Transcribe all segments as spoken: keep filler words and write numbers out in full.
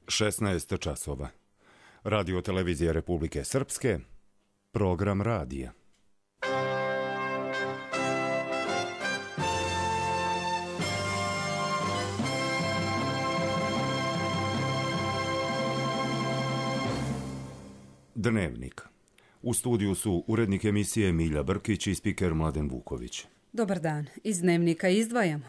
šesnaest časova. Radio televizija Republike Srpske, program radija. Dnevnik. U studiju su urednik emisije Milja Brkić i spiker Mladen Vuković. Dobar dan. Iz Dnevnika izdvajamo.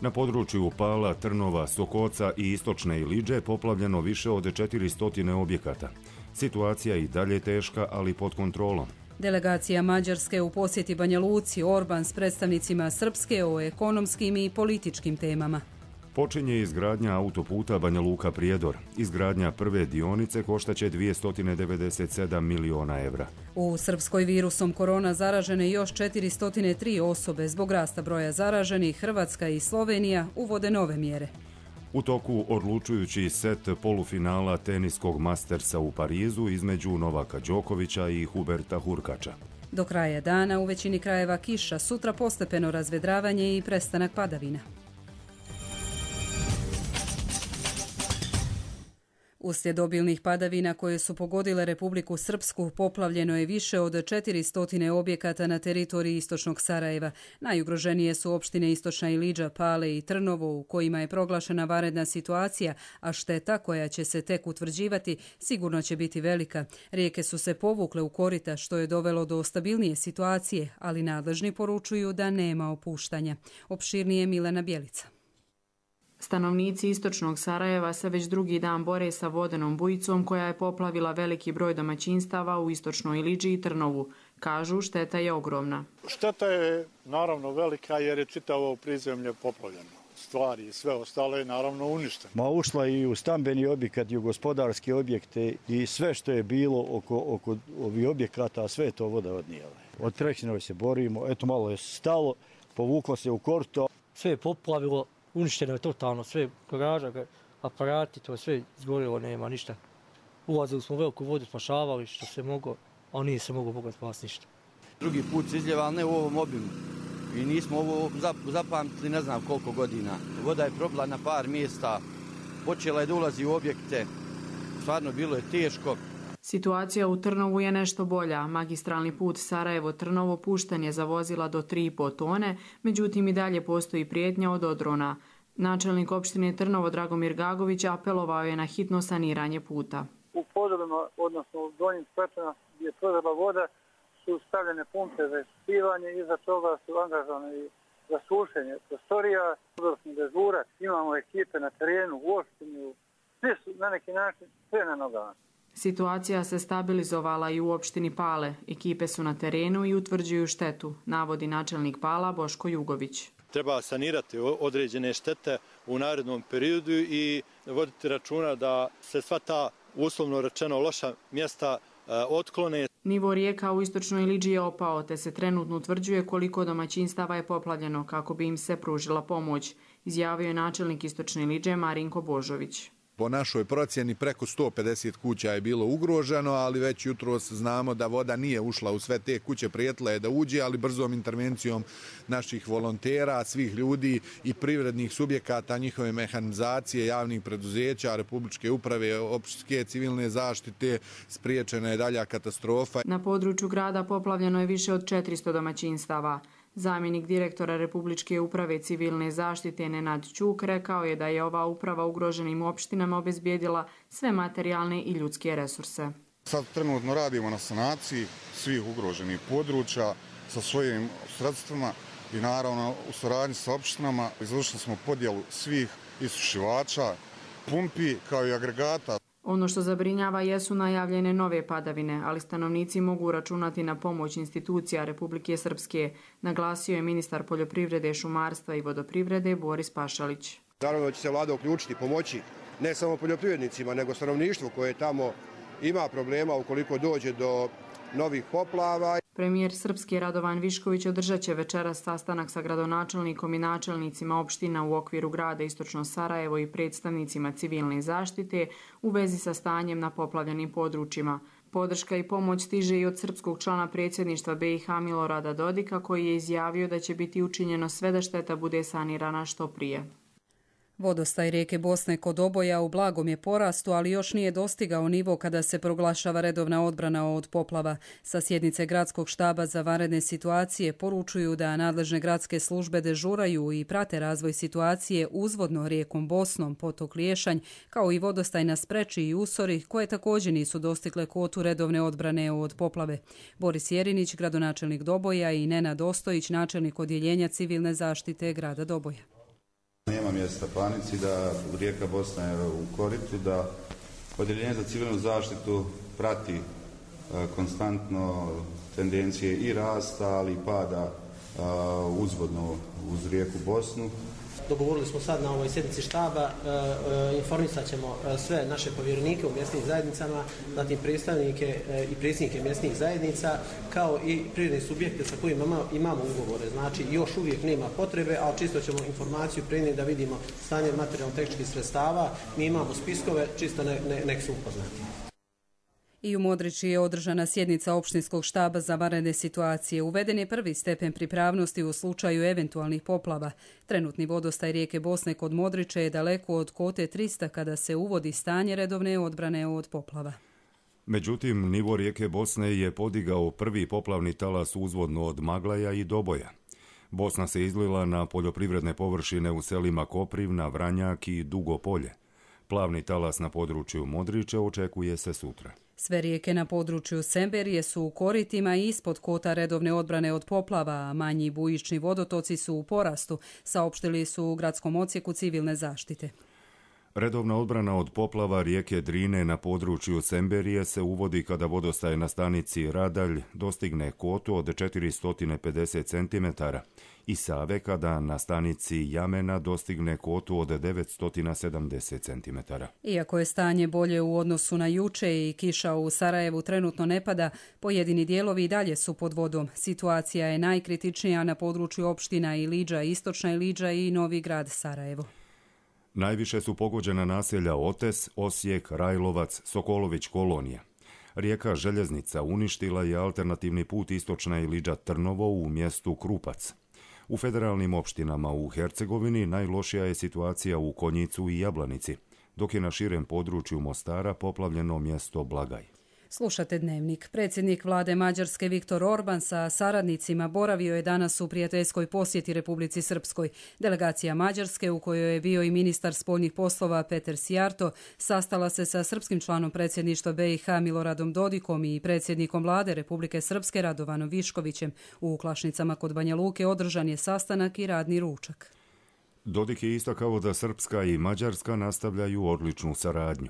Na području Pala, Trnova, Sokoca i Istočne Ilidže poplavljeno više od četiristo objekata. Situacija i dalje teška, ali pod kontrolom. Delegacija Mađarske u posjeti Banja Luci, Orban s predstavnicima Srpske o ekonomskim i političkim temama. Počinje izgradnja autoputa Banja Luka-Prijedor. Izgradnja prve dionice koštaće dvjesto devedeset sedam miliona evra. U Srpskoj virusom korona zaražene još četiristo tri osobe. Zbog rasta broja zaraženih, Hrvatska i Slovenija uvode nove mjere. U toku odlučujući set polufinala teniskog Mastersa u Parizu između Novaka Đokovića i Huberta Hurkača. Do kraja dana u većini krajeva kiša, sutra postepeno razvedravanje i prestanak padavina. Uslijed obilnih padavina koje su pogodile Republiku Srpsku, poplavljeno je više od četiristo objekata na teritoriji istočnog Sarajeva. Najugroženije su opštine Istočna Ilidža, Pale i Trnovo, u kojima je proglašena vanredna situacija, a šteta koja će se tek utvrđivati sigurno će biti velika. Rijeke su se povukle u korita, što je dovelo do stabilnije situacije, ali nadležni poručuju da nema opuštanja. Opširnije Milena Bjelica. Stanovnici istočnog Sarajeva se već drugi dan bore sa vodenom bujicom koja je poplavila veliki broj domaćinstava u Istočnoj Ilidži i Trnovu. Kažu, šteta je ogromna. Šteta je naravno velika jer je čitavo prizemlje poplavljeno. Stvari i sve ostale je naravno uništeno. Ma ušla i u stambeni objekat i u gospodarske objekte i sve što je bilo oko, oko ovih objekata, sve je to voda odnijela. Od trećinove se borimo, eto malo je stalo, povuklo se u korto. Sve je poplavilo. Uništeno je totalno, sve garaža, aparati, to sve izgorilo, nema ništa. Ulazili smo u veliku vodu, spašavali što se moglo, a nije se moglo Boga spasiti ništa. Drugi put se izljeva, ali ne u ovom obimu. I nismo ovo zapamtili ne znam koliko godina. Voda je probila na par mjesta, počela je da ulazi u objekte, stvarno bilo je teško. Situacija u Trnovu je nešto bolja. Magistralni put Sarajevo-Trnovo pušten je za vozila do tri i po tone, međutim i dalje postoji prijetnja od odrona. Načelnik opštine Trnovo Dragomir Gagović apelovao je na hitno saniranje puta. U podrobima, odnosno u donjim stepena gdje je prozrela voda, su stavljene pumpe za ispisivanje i za toga su angažovane za sušenje prostorija, vodonosni dežurac, imamo ekipe na terenu, u opštini, svi su na neki način sve na nogama. Situacija se stabilizovala i u opštini Pale. Ekipe su na terenu i utvrđuju štetu, navodi načelnik Pala Boško Jugović. Treba sanirati određene štete u narednom periodu i voditi računa da se sva ta, uslovno rečeno, loša mjesta otklone. Nivo rijeka u Istočnoj Ilidži je opao, te se trenutno utvrđuje koliko domaćinstava je poplavljeno kako bi im se pružila pomoć, izjavio je načelnik Istočne Ilidže Marinko Božović. Po našoj procjeni preko sto pedeset kuća je bilo ugroženo, ali već jutros znamo da voda nije ušla u sve te kuće, prijetila je da uđe, ali brzom intervencijom naših volontera, svih ljudi i privrednih subjekata, njihove mehanizacije, javnih preduzeća, Republičke uprave, opštinske civilne zaštite, spriječena je dalja katastrofa. Na području grada poplavljeno je više od četiristo domaćinstava. Zamjenik direktora Republičke uprave civilne zaštite Nenad Ćuk rekao je da je ova uprava ugroženim opštinama obezbijedila sve materijalne i ljudske resurse. Sad trenutno radimo na sanaciji svih ugroženih područja sa svojim sredstvima i naravno u suradnji sa opštinama izvršili smo podjelu svih isušivača, pumpi kao i agregata. Ono što zabrinjava jesu najavljene nove padavine, ali stanovnici mogu računati na pomoć institucija Republike Srpske, naglasio je ministar poljoprivrede, šumarstva i vodoprivrede Boris Pašalić. Naravno će se vlada uključiti, pomoći ne samo poljoprivrednicima, nego stanovništvu koje tamo ima problema ukoliko dođe do novih poplava. Premijer Srpske Radovan Višković održat će večeras sastanak sa gradonačelnikom i načelnicima opština u okviru grada Istočno Sarajevo i predstavnicima civilne zaštite u vezi sa stanjem na poplavljenim područjima. Podrška i pomoć stiže i od srpskog člana predsjedništva B i H Milorada Dodika, koji je izjavio da će biti učinjeno sve da šteta bude sanirana što prije. Vodostaj rijeke Bosne kod Oboja u blagom je porastu, ali još nije dostigao nivo kada se proglašava redovna odbrana od poplava. Sa sjednice Gradskog štaba za vanredne situacije poručuju da nadležne gradske službe dežuraju i prate razvoj situacije uzvodno rijekom Bosnom, potok Liješanj, kao i vodostaj na Spreči i Usori, koje također nisu dostigle kvotu redovne odbrane od poplave. Boris Jerinić, gradonačelnik Doboja, i Nenad Ostojić, načelnik odjeljenja civilne zaštite grada Doboja. Nema mjesta panici, da rijeka Bosna je u koritu, da odjeljenje za civilnu zaštitu prati e, konstantno tendencije i rasta, ali i pada e, uzvodno uz rijeku Bosnu. Dogovorili smo sad na ovoj sjednici štaba, e, e, informisat ćemo sve naše povjerenike u mjesnim zajednicama, zatim predstavnike e, i predsjednike mjesnih zajednica, kao i privredne subjekte sa kojima imamo ugovore. Znači, još uvijek nema potrebe, ali čisto ćemo informaciju prenijeti da vidimo stanje materijalno-tehničkih sredstava. Mi imamo spiskove, čisto ne, ne, nek su upoznati. I u Modriči je održana sjednica opštinskog štaba za vanredne situacije. Uveden je prvi stepen pripravnosti u slučaju eventualnih poplava. Trenutni vodostaj rijeke Bosne kod Modriče je daleko od kote trista kada se uvodi stanje redovne odbrane od poplava. Međutim, nivo rijeke Bosne je podigao prvi poplavni talas uzvodno od Maglaja i Doboja. Bosna se izlila na poljoprivredne površine u selima Koprivna, Vranjak i Dugo Polje. Plavni talas na području Modriče očekuje se sutra. Sve rijeke na području Semberije su u koritima i ispod kota redovne odbrane od poplava, a manji bujični vodotoci su u porastu, saopštili su u gradskom odsjeku civilne zaštite. Redovna odbrana od poplava rijeke Drine na području Semberije se uvodi kada vodostaj na stanici Radalj dostigne kotu od četiristo pedeset centimetara i Save kada na stanici Jamena dostigne kotu od devetsto sedamdeset centimetara. Iako je stanje bolje u odnosu na juče i kiša u Sarajevu trenutno ne pada, pojedini dijelovi i dalje su pod vodom. Situacija je najkritičnija na području opština Ilidža, Istočna Ilidža i Novi grad Sarajevo. Najviše su pogođena naselja Otes, Osijek, Rajlovac, Sokolović, Kolonija. Rijeka Željeznica uništila je alternativni put Istočna Ilidža Trnovo u mjestu Krupac. U federalnim opštinama u Hercegovini najlošija je situacija u Konjicu i Jablanici, dok je na širem području Mostara poplavljeno mjesto Blagaj. Slušate Dnevnik. Predsjednik vlade Mađarske Viktor Orban sa saradnicima boravio je danas u prijateljskoj posjeti Republici Srpskoj. Delegacija Mađarske, u kojoj je bio i ministar spoljnih poslova Peter Sijarto, sastala se sa srpskim članom predsjedništva B i H Miloradom Dodikom i predsjednikom vlade Republike Srpske Radovanom Viškovićem. U Klašnicama kod Banja Luke održan je sastanak i radni ručak. Dodik je istakao da Srpska i Mađarska nastavljaju odličnu saradnju.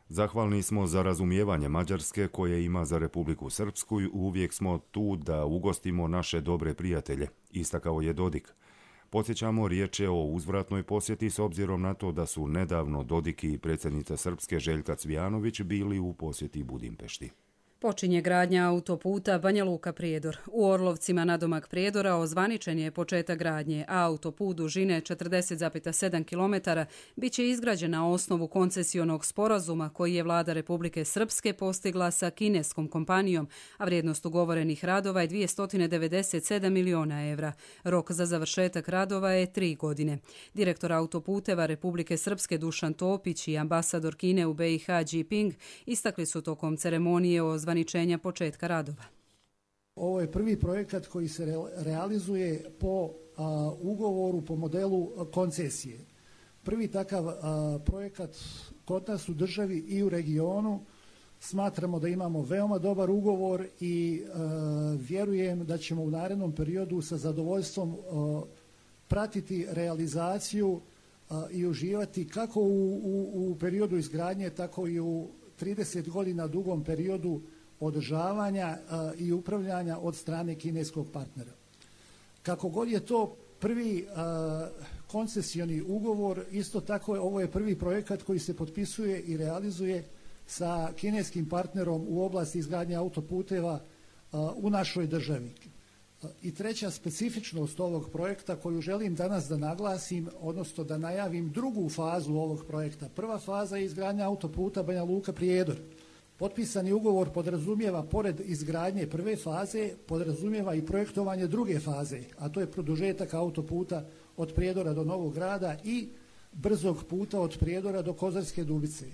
Zahvalni smo za razumijevanje Mađarske koje ima za Republiku Srpsku i uvijek smo tu da ugostimo naše dobre prijatelje, istakao je Dodik. Podsjećamo, riječ je o uzvratnoj posjeti s obzirom na to da su nedavno Dodik i predsjednica Srpske Željka Cvijanović bili u posjeti Budimpešti. Počinje gradnja autoputa Banja Luka-Prijedor. U Orlovcima nadomak Prijedora ozvaničen je početak gradnje, a autoput dužine četrdeset zarez sedam kilometara bit će izgrađen na osnovu koncesionog sporazuma koji je vlada Republike Srpske postigla sa kineskom kompanijom, a vrijednost ugovorenih radova je dvjesto devedeset sedam miliona evra. Rok za završetak radova je tri godine. Direktor autoputeva Republike Srpske Dušan Topić i ambasador Kine u B i H Jinping istakli su tokom ceremonije o zvaničenja početka radova. Ovo je prvi projekat koji se realizuje po a, ugovoru, po modelu koncesije. Prvi takav a, projekat kod nas u državi i u regionu. Smatramo da imamo veoma dobar ugovor i a, vjerujem da ćemo u narednom periodu sa zadovoljstvom a, pratiti realizaciju a, i uživati kako u, u, u periodu izgradnje, tako i u trideset godina dugom periodu održavanja a, i upravljanja od strane kineskog partnera. Kako god je to prvi a, koncesioni ugovor, isto tako je, ovo je prvi projekat koji se potpisuje i realizuje sa kineskim partnerom u oblasti izgradnje autoputeva a, u našoj državi. A, I treća specifičnost ovog projekta koju želim danas da naglasim, odnosno da najavim drugu fazu ovog projekta. Prva faza je izgradnja autoputa Banja Luka-Prijedor. Potpisani ugovor podrazumijeva, pored izgradnje prve faze, podrazumijeva i projektovanje druge faze, a to je produžetak autoputa od Prijedora do Novog Grada i brzog puta od Prijedora do Kozarske Dubice.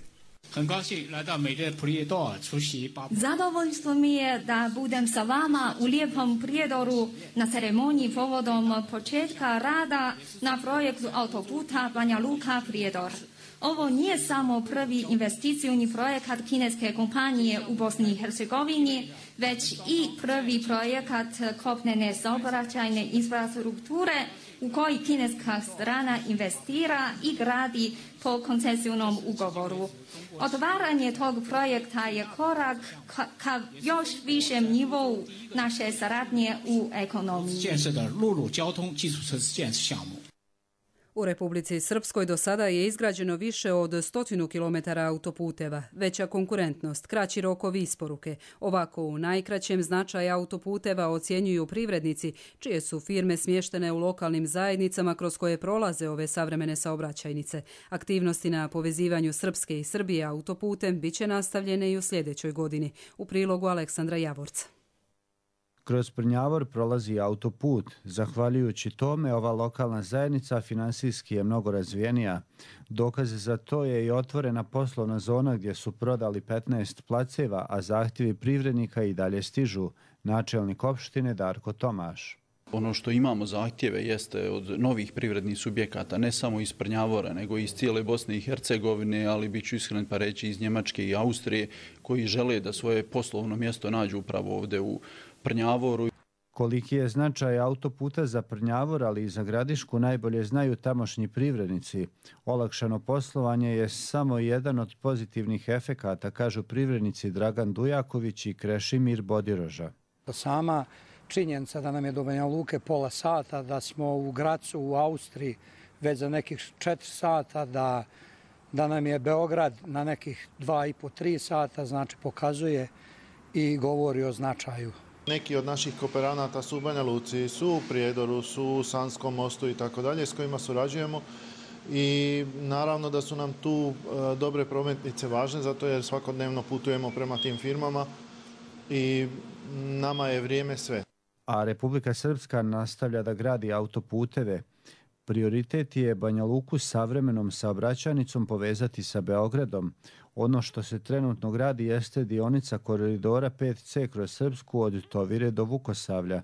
Zadovoljstvo mi je da budem sa vama u lijepom Prijedoru na ceremoniji povodom početka rada na projektu autoputa Banja Luka-Prijedor. Ovo nije samo prvi investicijni projekat kineske kompanije u Bosni i Hercegovini, već i prvi projekat kopnene saobraćajne infrastrukture u koji kineska strana investira i gradi po koncesijnom ugovoru. Otvaranje tog projekta je korak ka, ka još višem nivou naše saradnje u ekonomiji. U Republici Srpskoj do sada je izgrađeno više od stotinu kilometara autoputeva, veća konkurentnost, kraći rokovi isporuke. Ovako u najkraćem značaj autoputeva ocjenjuju privrednici, čije su firme smještene u lokalnim zajednicama kroz koje prolaze ove savremene saobraćajnice. Aktivnosti na povezivanju Srpske i Srbije autoputem bit će nastavljene i u sljedećoj godini. U prilogu Aleksandra Javorca. Kroz Prnjavor prolazi autoput. Zahvaljujući tome, ova lokalna zajednica finansijski je mnogo razvijenija. Dokaz za to je i otvorena poslovna zona gdje su prodali petnaest placeva, a zahtjevi privrednika i dalje stižu. Načelnik opštine Darko Tomaš. Ono što imamo zahtjeve jeste od novih privrednih subjekata, ne samo iz Prnjavora, nego iz cijele Bosne i Hercegovine, ali bit ću iskren pa reći iz Njemačke i Austrije, koji žele da svoje poslovno mjesto nađu upravo ovdje u Prnjavoru. Koliki je značaj autoputa za Prnjavor, ali i za Gradišku, najbolje znaju tamošnji privrednici. Olakšano poslovanje je samo jedan od pozitivnih efekata, kažu privrednici Dragan Dujaković i Krešimir Bodiroža. Sama činjenica da nam je do Banja Luke pola sata, da smo u Gracu u Austriji već za nekih četiri sata, da, da nam je Beograd na nekih dva i po, tri sata, znači pokazuje i govori o značaju. Neki od naših kooperanata su u Banja Luci, su u Prijedoru, su u Sanskom mostu i tako dalje, s kojima surađujemo. I naravno da su nam tu e, dobre prometnice važne, zato jer svakodnevno putujemo prema tim firmama i nama je vrijeme sve. A Republika Srpska nastavlja da gradi autoputeve. Prioritet je Banja Luku savremenom saobraćajnicom povezati sa Beogradom. Ono što se trenutno gradi jeste dionica koridora pet ce kroz Srpsku od Tovire do Vukosavlja.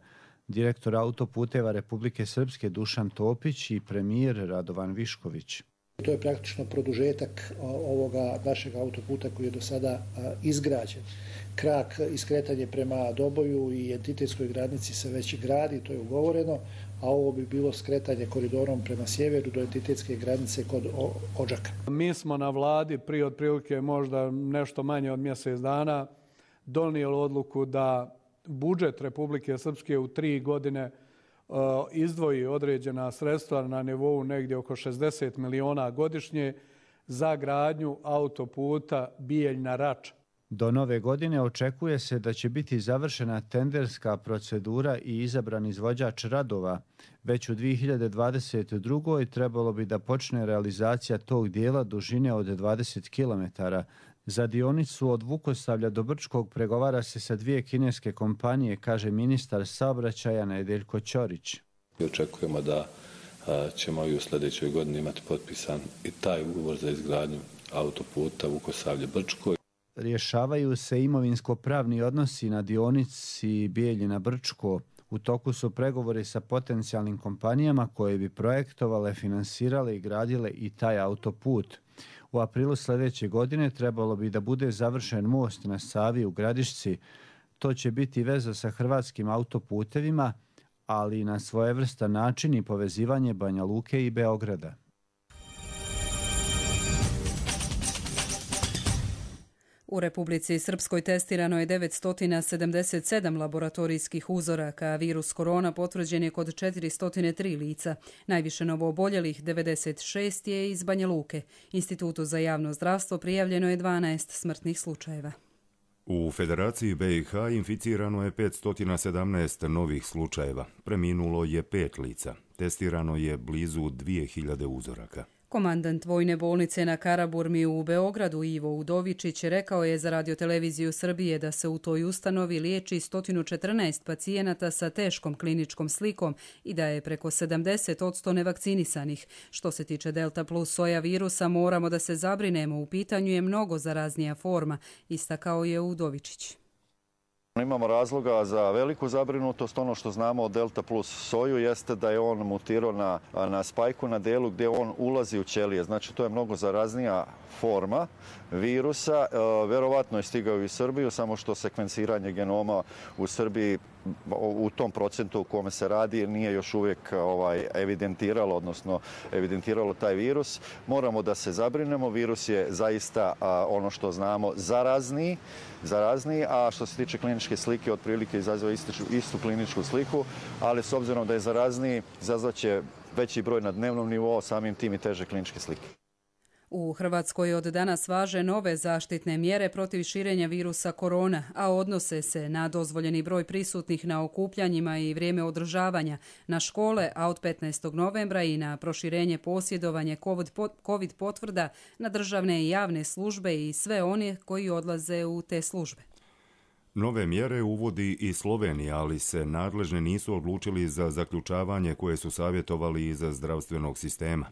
Direktor autoputeva Republike Srpske Dušan Topić i premijer Radovan Višković. To je praktično produžetak ovoga našeg autoputa koji je do sada izgrađen. Krak iskretanje prema Doboju i entitetskoj granici se već gradi, to je ugovoreno, a ovo bi bilo skretanje koridorom prema sjeveru do entitetske granice kod Odžaka. Mi smo na vladi prije otprilike možda nešto manje od mjesec dana donijeli odluku da budžet Republike Srpske u tri godine uh, izdvoji određena sredstva na nivou negdje oko šezdeset miliona godišnje za gradnju autoputa Bijeljna-Rača. Do nove godine očekuje se da će biti završena tenderska procedura i izabran izvođač radova. Već u dvije hiljade dvadeset drugoj trebalo bi da počne realizacija tog dijela dužine od dvadeset kilometara. Za dionicu od Vukosavlja do Brčkog pregovara se sa dvije kineske kompanije, kaže ministar saobraćaja Nedeljko Ćorić. Očekujemo da ćemo i u sljedećoj godini imati potpisan i taj ugovor za izgradnju autoputa Vukosavlje-Brčko. Rješavaju se imovinsko-pravni odnosi na dionici Bijeljina-Brčko. U toku su pregovori sa potencijalnim kompanijama koje bi projektovale, finansirale i gradile i taj autoput. U aprilu sljedeće godine trebalo bi da bude završen most na Savi u Gradišci. To će biti veza sa hrvatskim autoputevima, ali i na svojevrstan način i povezivanje Banja Luke i Beograda. U Republici Srpskoj testirano je devetsto sedamdeset sedam laboratorijskih uzoraka, a virus korona potvrđen je kod četiristo tri lica. Najviše novooboljelih devedeset šest je iz Banja Luke. Institutu za javno zdravstvo prijavljeno je dvanaest smrtnih slučajeva. U Federaciji be i ha inficirano je petsto sedamnaest novih slučajeva. Preminulo je pet lica. Testirano je blizu dvije hiljade uzoraka. Komandant Vojne bolnice na Karaburmi u Beogradu Ivo Udovičić rekao je za Radioteleviziju Srbije da se u toj ustanovi liječi sto četrnaest pacijenata sa teškom kliničkom slikom i da je preko sedamdeset posto nevakcinisanih. Što se tiče Delta plus soja virusa, moramo da se zabrinemo, u pitanju je mnogo zaraznija forma, istakao je Udovičić. Imamo razloga za veliku zabrinutost. Ono što znamo od Delta plus soju jeste da je on mutirao na, na spajku, na delu gdje on ulazi u ćelije. Znači, to je mnogo zaraznija forma virusa. E, verovatno je stigao i u Srbiju, samo što sekvenciranje genoma u Srbiji u tom procentu u kome se radi nije još uvijek ovaj, evidentiralo, odnosno evidentiralo taj virus. Moramo da se zabrinemo. Virus je zaista a, ono što znamo zarazniji, zarazniji, a što se tiče kliničke slike, otprilike izaziva istu, istu kliničku sliku, ali s obzirom da je zarazniji, izazvaće veći broj na dnevnom nivou, samim tim i teže kliničke slike. U Hrvatskoj od danas važe nove zaštitne mjere protiv širenja virusa korona, a odnose se na dozvoljeni broj prisutnih na okupljanjima i vrijeme održavanja, na škole, a od petnaestog novembra i na proširenje posjedovanje COVID potvrda na državne i javne službe i sve one koji odlaze u te službe. Nove mjere uvodi i Slovenija, ali se nadležni nisu odlučili za zaključavanje koje su savjetovali iz zdravstvenog sistema.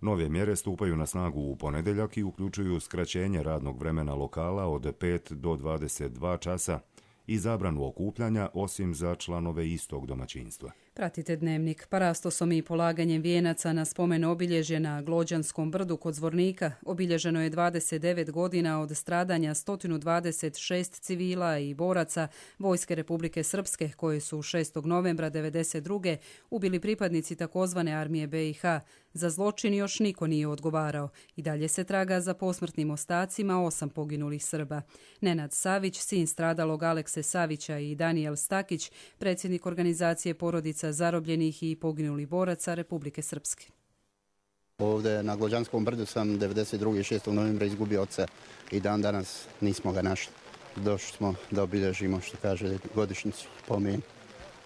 Nove mjere stupaju na snagu u ponedjeljak i uključuju skraćenje radnog vremena lokala od pet do dvadeset dva časa i zabranu okupljanja, osim za članove istog domaćinstva. Pratite Dnevnik. Parastosom i polaganjem vijenaca na spomen obilježje na Glođanskom brdu kod Zvornika obilježeno je dvadeset devet godina od stradanja sto dvadeset šest civila i boraca Vojske Republike Srpske koje su šestog novembra devedeset druge ubili pripadnici takozvane armije be i ha. Za zločin još niko nije odgovarao. I dalje se traga za posmrtnim ostacima osam poginulih Srba. Nenad Savić, sin stradalog Alekse Savića, i Danijel Stakić, predsjednik organizacije porodica zarobljenih i poginulih boraca Republike Srpske. Ovdje na Glođanskom brdu sam devedeset druge šestog novembra izgubio oca i dan danas nismo ga našli. Došli smo da obilježimo, što kaže, godišnjicu pomen.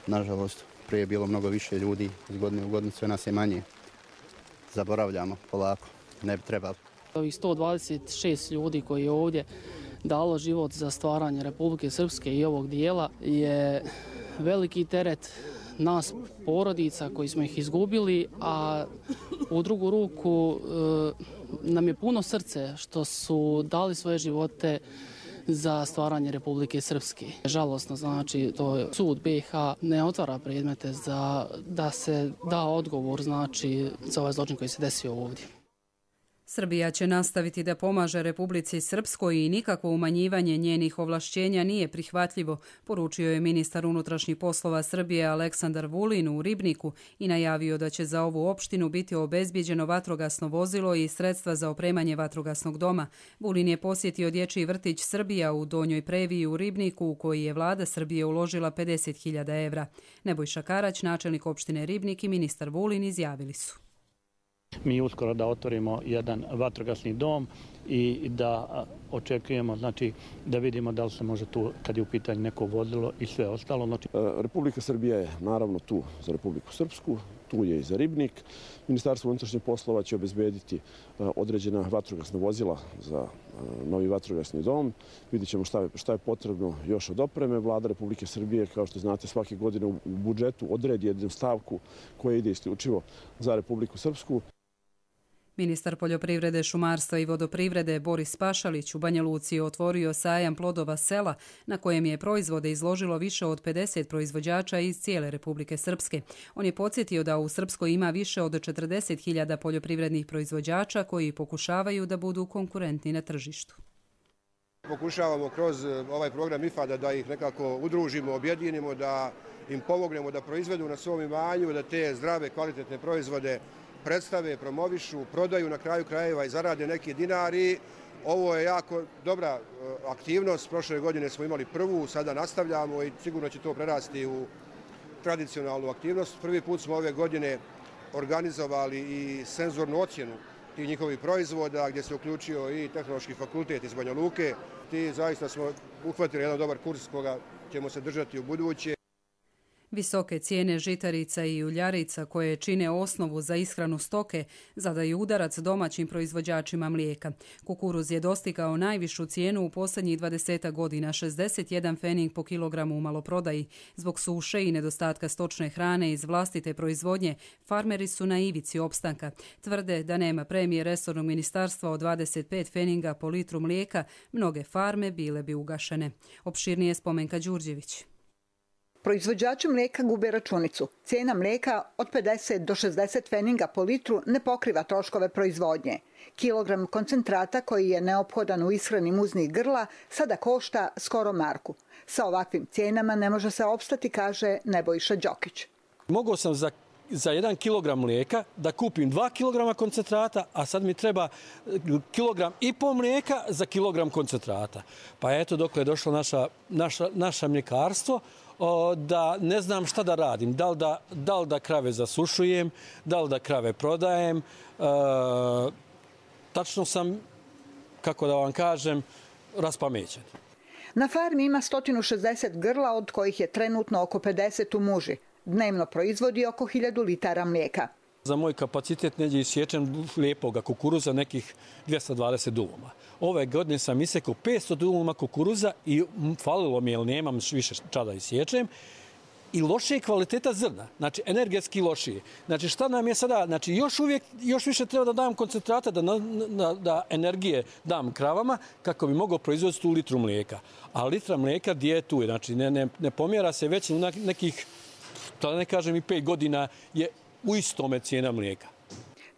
Nažalost, prije je bilo mnogo više ljudi, iz godine u godinu sve nas je manje. Zaboravljamo polako, ne bi trebalo. Ovih sto dvadeset šest ljudi koji je ovdje dalo život za stvaranje Republike Srpske i ovog dijela je veliki teret nas porodica koji smo ih izgubili, a u drugu ruku nam je puno srce što su dali svoje živote za stvaranje Republike Srpske. Žalosno, znači, to sud be i ha ne otvara predmete za da se da odgovor, znači, za ovaj zločin koji se desio ovdje. Srbija će nastaviti da pomaže Republici Srpskoj i nikakvo umanjivanje njenih ovlašćenja nije prihvatljivo, poručio je ministar unutrašnjih poslova Srbije Aleksandar Vulin u Ribniku i najavio da će za ovu opštinu biti obezbijeđeno vatrogasno vozilo i sredstva za opremanje vatrogasnog doma. Vulin je posjetio dječji vrtić Srbija u Donjoj Previ u Ribniku, u koji je vlada Srbije uložila pedeset hiljada evra. Nebojša Karać, načelnik opštine Ribnik, i ministar Vulin izjavili su: Mi uskoro da otvorimo jedan vatrogasni dom i da očekujemo, znači, da vidimo da li se može tu, kad je u pitanju neko vozilo i sve ostalo. Znači... Republika Srbija je naravno tu za Republiku Srpsku, tu je i za Ribnik. Ministarstvo unutrašnjih poslova će obezbediti određena vatrogasna vozila za novi vatrogasni dom. Vidjet ćemo šta je, šta je potrebno još od opreme. Vlada Republike Srbije, kao što znate, svake godine u budžetu odredi jednu stavku koja ide isključivo za Republiku Srpsku. Ministar poljoprivrede, šumarstva i vodoprivrede Boris Pašalić u Banja Luci je otvorio sajam plodova sela na kojem je proizvode izložilo više od pedeset proizvođača iz cijele Republike Srpske. On je podsjetio da u Srpskoj ima više od četrdeset hiljada poljoprivrednih proizvođača koji pokušavaju da budu konkurentni na tržištu. Pokušavamo kroz ovaj program ifada da ih nekako udružimo, objedinimo, da im pomognemo da proizvedu na svom imanju, da te zdrave, kvalitetne proizvode predstave, promovišu, prodaju na kraju krajeva i zarade neki dinari. Ovo je jako dobra aktivnost. Prošle godine smo imali prvu, sada nastavljamo i sigurno će to prerasti u tradicionalnu aktivnost. Prvi put smo ove godine organizovali i senzornu ocjenu tih njihovih proizvoda, gdje se uključio i Tehnološki fakultet iz Banja Luke. Ti zaista smo uhvatili jedan dobar kurs koga ćemo se držati u buduće. Visoke cijene žitarica i uljarica koje čine osnovu za ishranu stoke zadaju udarac domaćim proizvođačima mlijeka. Kukuruz je dostigao najvišu cijenu u posljednjih dvadeset godina, šezdeset jedan pfening po kilogramu u maloprodaji. Zbog suše i nedostatka stočne hrane iz vlastite proizvodnje, farmeri su na ivici opstanka. Tvrde da nema premije resornog ministarstva od dvadeset pet pfeninga po litru mlijeka, mnoge farme bile bi ugašene. Opširnije Spomenka Đurđević. Proizvođači mlijeka gube računicu. Cijena mlijeka od pedeset do šezdeset pfeninga po litru ne pokriva troškove proizvodnje. Kilogram koncentrata koji je neophodan u ishrani muznih grla sada košta skoro marku. Sa ovakvim cijenama ne može se opstati, kaže Nebojša Đokić. Mogao sam za za jedan kilogram mlijeka da kupim dva kilograma koncentrata, a sad mi treba kilogram i pol mlijeka za kilogram koncentrata. Pa eto, dok je došlo naša, naša, naša mljekarstvo, o, da ne znam šta da radim. Da li da, da, li da krave zasušujem, da li da krave prodajem. E, tačno sam, kako da vam kažem, raspamećen. Na farmi ima sto šezdeset grla, od kojih je trenutno oko pedeset u muži. Dnevno proizvodi oko hiljadu litara mlijeka. Za moj kapacitet neđe isječen lijepoga kukuruza nekih dvjesto dvadeset duluma. Ove godine sam isekao petsto duluma kukuruza i falilo mi je, jer nemam više čada isječem. I lošije kvaliteta zrna, znači energetski lošije. Znači šta nam je sada, znači još uvijek, još više treba da dam koncentrata, da, da, da energije dam kravama kako bi mogao proizvoditi tu litru mlijeka. A litra mlijeka gdje je tu? Znači ne, ne, ne pomjera se već u nekih, da ne kažem i pet godina, je u istome cijena mlijeka.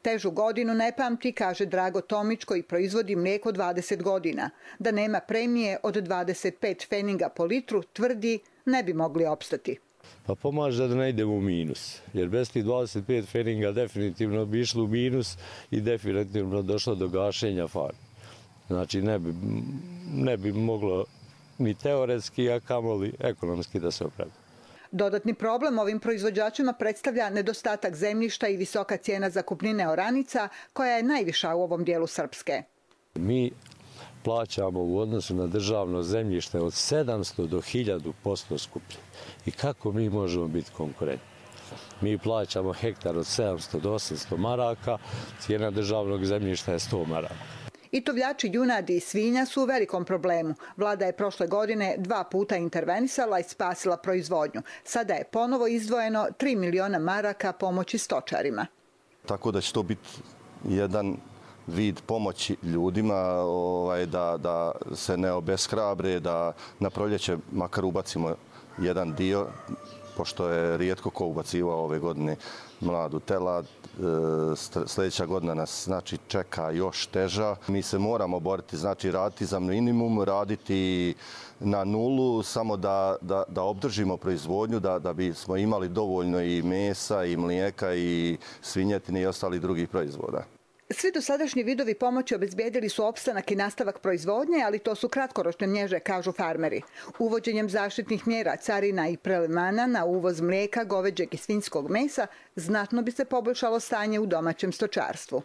Težu godinu ne pamti, kaže Drago Tomić, koji proizvodi mlijeko dvadeset godina. Da nema premije od dvadeset pet pfeninga po litru, tvrdi, ne bi mogli opstati. Pa pomaže da ne idemo u minus, jer bez tih dvadeset pet pfeninga definitivno bi išlo u minus i definitivno došlo do gašenja farme. Znači ne bi, ne bi moglo ni teoretski, a kamoli ekonomski da se opravda. Dodatni problem ovim proizvođačima predstavlja nedostatak zemljišta i visoka cijena zakupnine oranica, koja je najviša u ovom dijelu Srpske. Mi plaćamo u odnosu na državno zemljište od sedamsto do hiljadu posto skuplje. I kako mi možemo biti konkurentni? Mi plaćamo hektar od sedamsto do osamsto maraka, cijena državnog zemljišta je sto maraka. I tovljači junadi i svinja su u velikom problemu. Vlada je prošle godine dva puta intervenisala i spasila proizvodnju. Sada je ponovo izdvojeno tri miliona maraka pomoći stočarima. Tako da će to biti jedan vid pomoći ljudima, ovaj, da, da se ne obeshrabre, da na proljeće makar ubacimo jedan dio, pošto je rijetko ko ubacivao ove godine mladu telad. Sljedeća godina nas znači čeka još teža. Mi se moramo boriti, znači raditi za minimum, raditi na nulu, samo da, da, da obdržimo proizvodnju, da, da bismo imali dovoljno i mesa, i mlijeka, i svinjetine i ostalih drugih proizvoda. Svi dosadašnji vidovi pomoći obezbijedili su opstanak i nastavak proizvodnje, ali to su kratkoročne mjere, kažu farmeri. Uvođenjem zaštitnih mjera, carina i prelevmana na uvoz mlijeka, goveđeg i svinjskog mesa znatno bi se poboljšalo stanje u domaćem stočarstvu.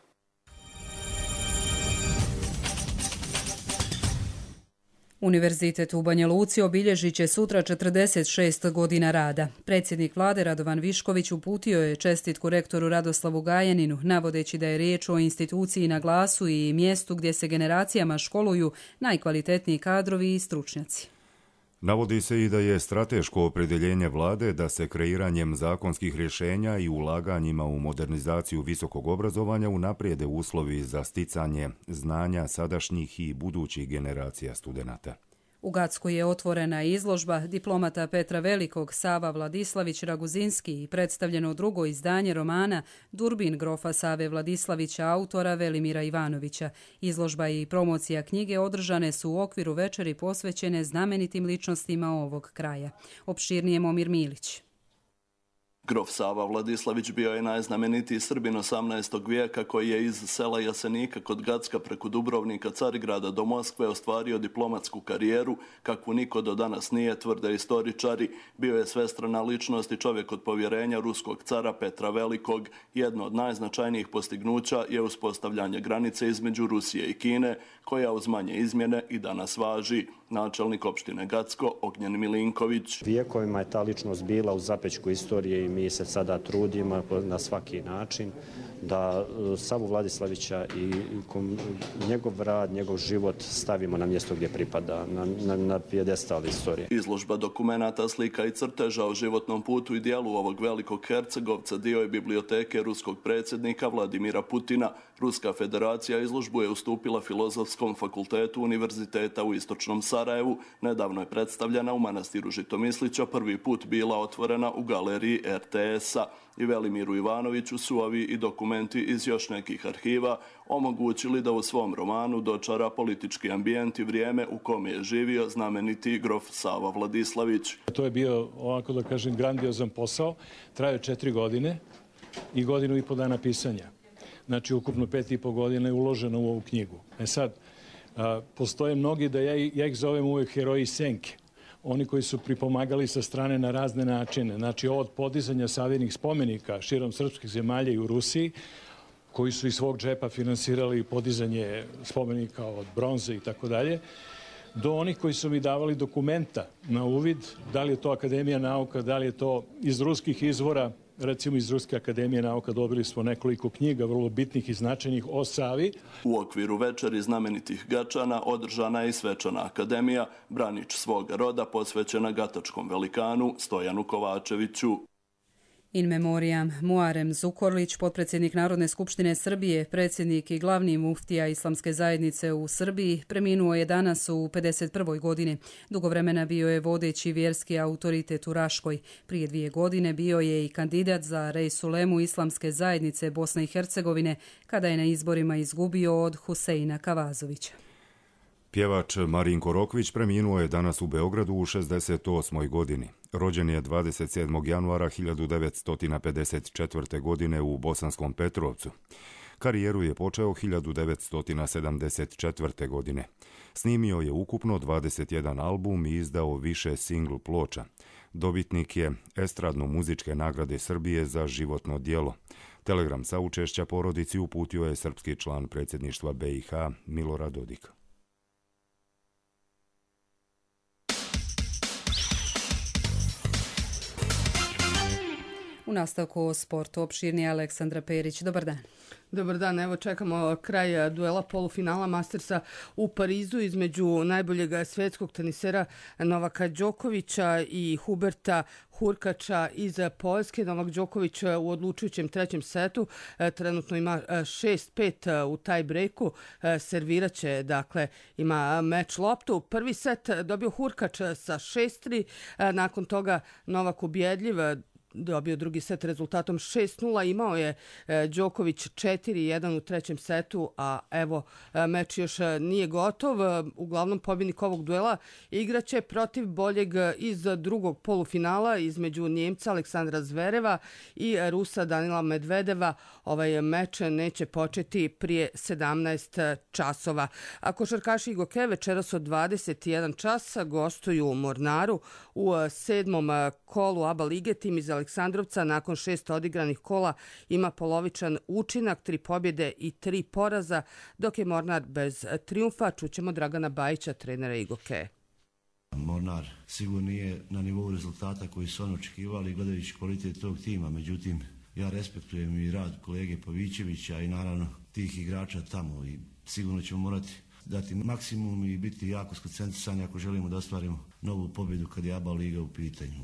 Univerzitet u Banja Luci obilježit će sutra četrdeset šest godina rada. Predsjednik vlade Radovan Višković uputio je čestitku rektoru Radoslavu Gajaninu, navodeći da je riječ o instituciji na glasu i mjestu gdje se generacijama školuju najkvalitetniji kadrovi i stručnjaci. Navodi se i da je strateško opredjeljenje vlade da se kreiranjem zakonskih rješenja i ulaganjima u modernizaciju visokog obrazovanja unaprijede uslovi za sticanje znanja sadašnjih i budućih generacija studenata. U Gacku je otvorena izložba diplomata Petra Velikog, Sava Vladislavić Raguzinski i predstavljeno drugo izdanje romana Durbin grofa Save Vladislavića, autora Velimira Ivanovića. Izložba i promocija knjige održane su u okviru večeri posvećene znamenitim ličnostima ovog kraja. Opširnije Momir Milić. Grof Sava Vladislavić bio je najznamenitiji Srbin osamnaestog vijeka koji je iz sela Jasenika kod Gacka preko Dubrovnika, Carigrada do Moskve ostvario diplomatsku karijeru kakvu niko do danas nije, tvrde istoričari. Bio je svestrana ličnost i čovjek od povjerenja ruskog cara Petra Velikog. Jedno od najznačajnijih postignuća je uspostavljanje granice između Rusije i Kine, koja uz manje izmjene i danas važi. Načelnik opštine Gacko, Ognjen Milinković. Vijekovima je ta ličnost bila u zapećku istorije i mi se sada trudimo na svaki način da Savu Vladislavića i njegov rad, njegov život stavimo na mjesto gdje pripada, na, na, na pijedestal istorije. Izložba dokumenata, slika i crteža o životnom putu i dijelu ovog velikog hercegovca dio je biblioteke ruskog predsjednika Vladimira Putina. Ruska federacija izložbu je ustupila Filozofskom fakultetu Univerziteta u Istočnom Sarajevu. Nedavno je predstavljena u manastiru Žitomislića, prvi put bila otvorena u galeriji er te es-a. I Velimiru Ivanoviću su ovi i dokumenti iz još nekih arhiva omogućili da u svom romanu dočara politički ambijent i vrijeme u kome je živio znameniti grof Sava Vladislavić. To je bio, ovako da kažem, grandiozan posao. Trajao četiri godine i godinu i po dana pisanja. Znači, ukupno pet i po godine je uloženo u ovu knjigu. E sad, a, postoje mnogi da ja, ja ih zovem uvijek heroji senke. Oni koji su pripomagali sa strane na razne načine. Znači, od podizanja savijenih spomenika širom srpskih zemalja i u Rusiji, koji su iz svog džepa finansirali podizanje spomenika od bronze i tako dalje, do onih koji su mi davali dokumenta na uvid, da li je to Akademija nauka, da li je to iz ruskih izvora. Recimo iz Ruske akademije nauka dobili smo nekoliko knjiga vrlo bitnih i značajnih o Savi. U okviru večeri znamenitih Gačana održana je i svečana akademija, branič svoga roda posvećena gatačkom velikanu Stojanu Kovačeviću. In memoriam Muarem Zukorlić, potpredsjednik Narodne skupštine Srbije, predsjednik i glavni muftija Islamske zajednice u Srbiji, preminuo je danas u pedeset prvoj godini. Dugo vremena bio je vodeći vjerski autoritet u Raškoj. Prije dvije godine bio je i kandidat za Rejsulemu Islamske zajednice Bosne i Hercegovine, kada je na izborima izgubio od Huseina Kavazovića. Pjevač Marinko Rokvić preminuo je danas u Beogradu u šezdeset osmoj godini. Rođen je dvadeset sedmog januara hiljadu devetsto pedeset četvrte. godine u Bosanskom Petrovcu. Karijeru je počeo hiljadu devetsto sedamdeset četvrte. godine. Snimio je ukupno dvadeset jedan album i izdao više singl ploča. Dobitnik je Estradno-muzičke nagrade Srbije za životno djelo. Telegram saučešća porodici uputio je srpski član predsjedništva be i ha Milorad Dodik. U nastavku o sportu opširnije Aleksandra Perić. Dobar dan. Dobar dan, evo čekamo kraj duela polufinala Mastersa u Parizu između najboljeg svjetskog tenisera Novaka Đokovića i Huberta Hurkača iz Poljske. Novak Đoković u odlučujućem trećem setu trenutno ima šest pet u taj breaku. Serviraće, dakle, ima meč loptu. Prvi set dobio Hurkač sa šest tri, nakon toga Novak ubjedljiv dobio drugi set rezultatom šest nula. Imao je Đoković četiri jedan u trećem setu, a evo meč još nije gotov. Uglavnom pobjednik ovog duela igraće protiv boljeg iz drugog polufinala između Njemca Aleksandra Zvereva i Rusa Danila Medvedeva. Ovaj meč neće početi prije sedamnaest časova. A košarkaši Igoke večeras od dvadeset jedan časa gostuju u Mornaru u sedmom kolu A B A lige. Tim iz Aleksandrovca nakon šest odigranih kola ima polovičan učinak, tri pobjede i tri poraza, dok je Mornar bez triumfa. Čućemo Dragana Bajića, trenera Igoke. Mornar sigurno nije na nivou rezultata koji su oni očekivali gledajući kvalitet tog tima, međutim ja respektujem i rad kolege Pavićevića i naravno tih igrača tamo i sigurno ćemo morati dati maksimum i biti jako skoncentrisani ako želimo da ostvarimo novu pobjedu kad je A B A liga u pitanju.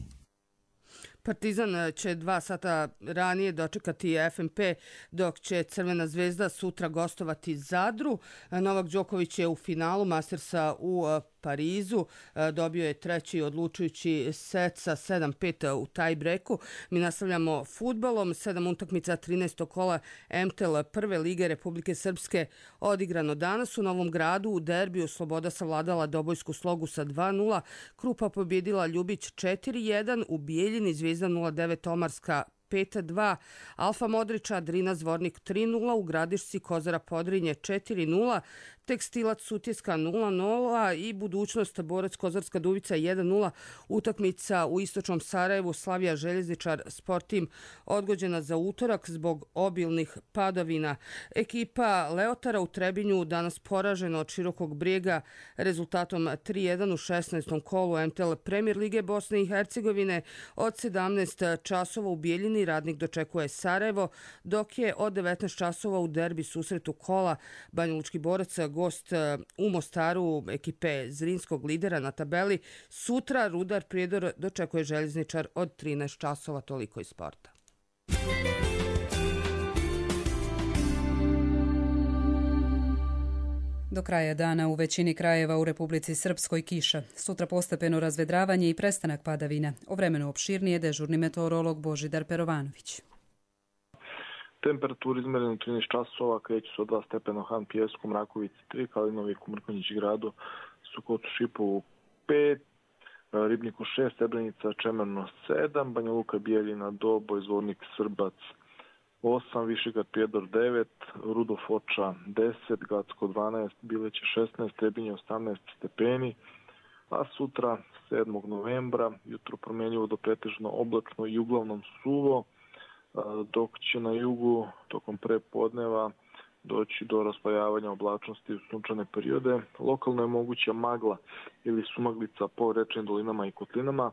Partizan će dva sata ranije dočekati F M P, dok će Crvena zvezda sutra gostovati Zadru. Novak Đoković je u finalu Mastersa u Parizu. Dobio je treći odlučujući set sa sedam pet u tajbreku. Mi nastavljamo fudbalom. Sedam utakmica trinaestog kola M T L prve lige Republike Srpske odigrano danas u Novom Gradu. U derbiju Sloboda savladala Dobojsku Slogu sa dva nula. Krupa pobjedila Ljubić četiri jedan. U Bijeljini Zvijezda nula devet Omarska pet dva, Alfa Modrića Drina Zvornik tri nula, u Gradišci Kozara Podrinje četiri nula, Tekstilac Sutjeska nula nula i Budućnost Borac Kozarska Dubica jedan nula. Utakmica u istočnom Sarajevu Slavija Željezničar Sport Tim odgođena za utorak zbog obilnih padavina. Ekipa Leotara u Trebinju danas poražena od Širokog Brijega rezultatom tri jedan u šesnaestom kolu M T L Premier Lige Bosne i Hercegovine. Od sedamnaest časova u Bijeljini Radnik dočekuje Sarajevo, dok je od devetnaest časova u derbi susretu kola Banjalučki Borac gost u Mostaru ekipe Zrinskog lidera na tabeli. Sutra Rudar Prijedor dočekuje Željezničar od trinaest časova. Toliko iz sporta. Do kraja dana u većini krajeva u Republici Srpskoj kiša. Sutra postepeno razvedravanje i prestanak padavina. O vremenu opširnije dežurni meteorolog Božidar Perovanović. Temperaturi izmerene trinaest časova, kreću se od dva stepena u Han Pijesku, Mrakovici tri, Kalinoviku, Mrkonjić gradu, Sukotu, Šipovu pet, Ribniku šest, Srebrenica, Čemerno sedam, Banja Luka, Bijeljina, Doboj, Zvornik, Srbac osam, Višegrad, Prijedor devet, Rudo, Foča deset, Gacko dvanaest, Bileće šesnaest, Trebinje osamnaest stepeni, a sutra sedmog novembra jutro promjenjivo do pretežno oblačno i uglavnom suvo, dok će na jugu tokom prepodneva doći do raslojavanja oblačnosti u sunčane periode. Lokalno je moguća magla ili sumaglica po rečnim dolinama i kotlinama,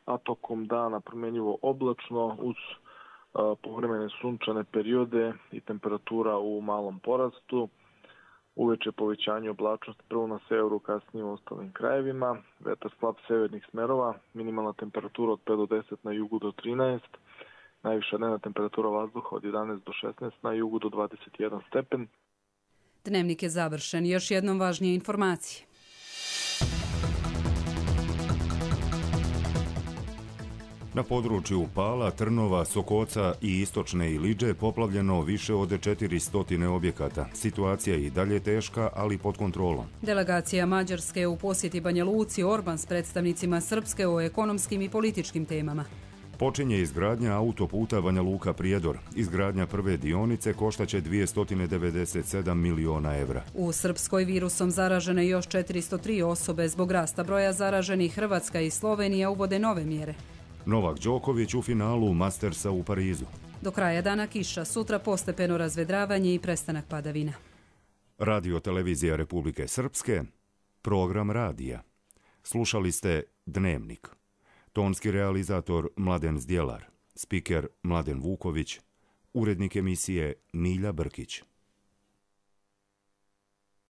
a tokom dana promjenjivo oblačno uz povremene sunčane periode i temperatura u malom porastu. Uveče povećanje oblačnosti prvo na severu, kasnije u ostalim krajevima. Vetar slab severnih smerova, minimalna temperatura od pet do deset, na jugu do trinaest. Najviša dnevna temperatura vazduha od jedanaest do šesnaest, na jugu do dvadeset jedan stepen. Dnevnik je završen. Još jednom važnije informacije. Na području Pala, Trnova, Sokoca i istočne Iliđe poplavljeno više od četiristo objekata. Situacija je i dalje teška, ali pod kontrolom. Delegacija Mađarske u posjeti Banja Luci, Orban s predstavnicima Srpske o ekonomskim i političkim temama. Počinje izgradnja autoputa Banja Luka Prijedor. Izgradnja prve dionice koštaće dvjesto devedeset sedam miliona evra. U Srpskoj virusom zaražene još četiristo tri osobe. Zbog rasta broja zaraženih Hrvatska i Slovenija uvode nove mjere. Novak Đoković u finalu Mastersa u Parizu. Do kraja dana kiša, sutra postepeno razvedravanje i prestanak padavina. Radio televizija Republike Srpske, program radija. Slušali ste Dnevnik. Tonski realizator Mladen Zdjelar, spiker Mladen Vuković, urednik emisije Milja Brkić.